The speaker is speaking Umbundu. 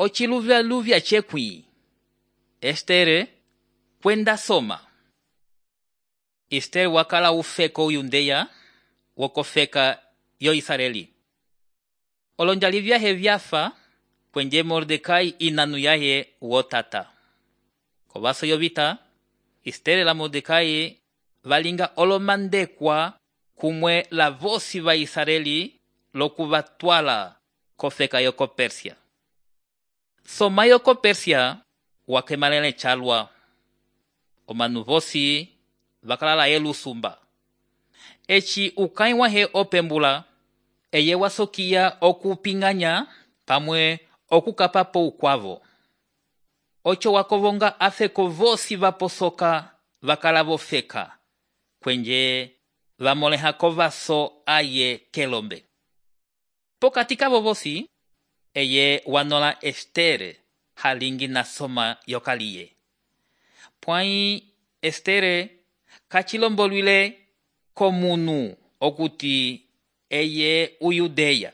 Ociluvya chekwi. Estere kwenda soma. Estere wakala ufeko uyundeya wokofeka yo Israeli. Olonjali vyahe vyafa kwenye Mordekai inanu yahe wotata. Kovaso yovita, Estere la Mordekai valinga olomandekwa kumwe la vosi va Israeli lokuvatwala kofeka yoko Persia. Soma yoko Persia wakemalele chalwa. Omanu vosi vakalala elusumba. Echi ukai wahe opembula eye wasokia okupinganya pamwe okukapapo ukwavo. Ocho wakovonga afeko vosi vaposoka vakalavo feka kwenye vamoleha kovaso aye kelombe. Pokati kavo vosi eye wanola Estere halingi na soma yokaliye. Pwai Estere kachilombolwile komunu okuti eye uyudeya.